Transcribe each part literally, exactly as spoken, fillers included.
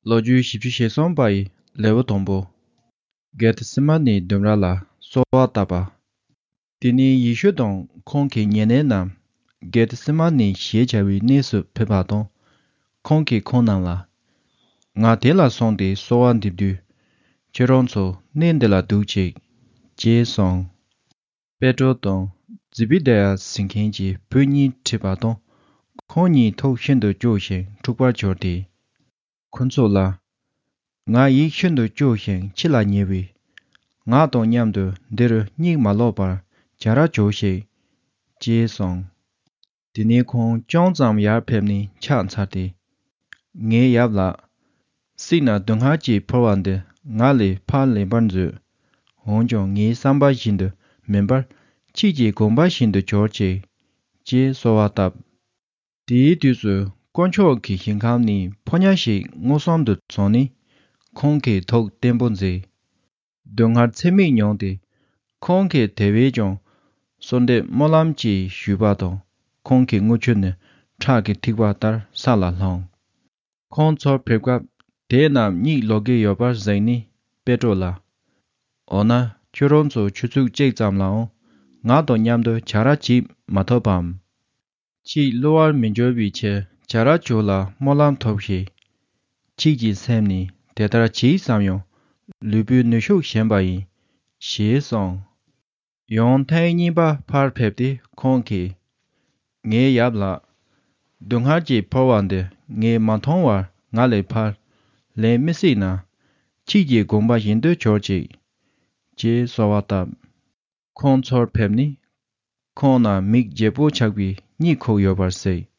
ལོ་རྒྱུས་བཞི་བཅུ་ཞེ་གསུམ་པ་ཡི་ལེའུ་དང་པོ། གེ་ཐི་སི་མ་ནིའི་ལྡུམ་ར་ལ་གསོལ་བ་བཏབ་པ། དེ་ནས་ཡེ་ཤུ་དང་ཁོང་གི་ཉེ་གནས་རྣམས་གེ་ཐི་སི་མ་ནི་ཞེས་བྱ་བའི་གནས་སུ་ཕེབས་པ་དང་། ཁོང་གིས་ཁོང་རྣམས་ལ། ང་དེ་ལ་སོང་སྟེ་གསོལ་བ་འདེབས་དུས། ཁྱེད་རང་ཚོ་གནས་འདི་ལ་འདུག་ཅིག་ཅེས་གསུངས། པེ་ཏྲོ་དང་ཛི་བི་དཱ་ཡ་ཟེར་མཁན་གྱི་བུ་གཉིས་ཁྲིད་པ་དང་། ཁོང་གཉིས་ཐུགས་ཤིན་ཏུ་སྐྱོ་ཞིང་འཁྲུགས་པར་གྱུར་ཏེ། ཁོ་ཚོ་ལ། ང་ཡིད་ཤིན་ཏུ་སྐྱོ་ཞིང་འཆི་ལ་ཉེ་བས། ང་དང་མཉམ་དུ་འདི་རུ་གཉིད་མ་ལོག་པར་བྱ་ར་བྱོས་ཤིག་ཅེས་གསུངས། དེ་ནས་ཁོང་ཅུང་ཙམ་ཡར་ཕེབས་ནས་ཕྱག་འཚལ་ཏེ། ངའི་ཡབ་ལགས། སྲིད་ན་སྡུག་བསྔལ་གྱིས་ཕུལ་བ་འདི་ང་ལས་ཕར་ལེན་པར་མཛོད། འོན་ཀྱང་ངའི་བསམ་པ་བཞིན་དུ་མིན་པར། ཁྱེད་ཀྱི་དགོངས་པ་བཞིན་དུ་གྱུར་ཅིག་ཅེས་གསོལ་བ་བཏབ། དེའི་དུས་སུ་དཀོན་མཆོག་གི་ཞིང་ཁམས་ནས་ཕོ་ཉ་ཞིག་མངོན་སུམ་དུ་བྱོན་ནས། ཁོང་གི་ཐུགས་བརྟན་པོ་མཛད། སྡུག་བསྔལ་ཚད་མེད་མྱོང་སྟེ། ཁོང་གིས་དེ་བས་ཀྱང་གསོལ་འདེབས་སྨོན་ལམ་གྱིས་ཞུས་པ་དང་། ཁོང་གི་རྔུལ་ཆུ་ནི་ཁྲག་གི་ཐིགས་པ་ལྟར་ས་ལ་ལྷུང་། ཁོང་ཚུར་ཕེབས་སྐབས་དེ་རྣམས་གཉིད་ལོག་གི་ཡོད་པར་གཟིགས་ནས་པེ་ཏྲོ་ལ། འོ་ན་ཁྱོད་རང་ཚོ་ཆུ་ཚོད་གཅིག་ཙམ་ལའང་ང་དང་མཉམ་དུ་བྱ་ར་བྱེད་མ་ཐུབ་བམ། ཁྱེད་བསླུ་བར་མི་འགྱུར་བའི་ཕྱིར་བྱ་ར་བྱོས་ལ་སྨོན་ལམ་ཐོབས་ཤིག་ཁྱེད་ཀྱི་སེམས་ནི་དེ་ལྟར་གྱིས་བསམ་ཡང་། ལུས་པོའི་ནུས་ཤུགས་ཞན་པ་ཡིན། ཞེས་གསུངས། ཡང་ཐེངས་གཉིས་པ་ཕར་ཕེབས་ཏེ་ཁོང་གིས། ངའི་ཡབ་ལགས། སྡུག་བསྔལ་གྱིས་ཕུལ་བ་འདི་ངས་མ་མཐོང་བར་ང་ལས་ཕར་ལེན་མི་སྲིད་ན། ཁྱེད་ཀྱི་དགོངས་པ་བཞིན་དུ་གྱུར་ཅིག་ཅེས་གསོལ་བ་བཏབ། ཁོང་ཚུར་ཕེབས་ནས། ཁོང་ན་མིག་བརྗེ་པོ་ཆགས་པའི་གཉིད་ཁུག་ཡོད་པར་གཟིགས།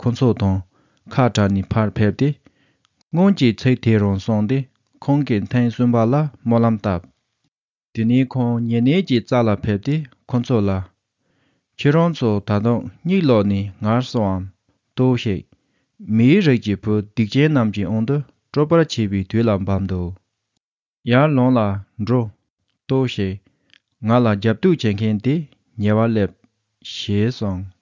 ཁོ་ཚོ་དང་ཁ་བྲལ་ནས་ཕར་ཕེབས་ཏེ། སྔོན་གྱི་ཚིག་དེ་རང་གསུངས་ཏེ། ཁོང་གིས་ཐེངས་གསུམ་པ་ལ་སྨོན་ལམ་བཏབ། དེ་ནས་ཁོང་ཉེ་གནས་ཀྱི་རྩ་ལ་ཕེབས་ཏེ་ཁོ་ཚོ་ལ། ཁྱེད་རང་ཚོ་ད་དུང་གཉིད་ལོག་ནས་ངར་སོང་ངམ། ལྟོས་ཤིག་མིའི་རིགས་ཀྱི་བུ་སྡིག་ཅན་རྣམས་ཀྱི་དབང་དུ་སྤྲོད་པར་བྱེད་པའི་དུས་ལ་བབ་འདུག་ཡར་ལོངས་ལ་འགྲོ། ལྟོས་ཤིག་ང་ལ་རྒྱབ་གཏུག་བྱེད་མཁན་དེ་ཉེ་བར་སླེབས། ཞེས་གསུངས།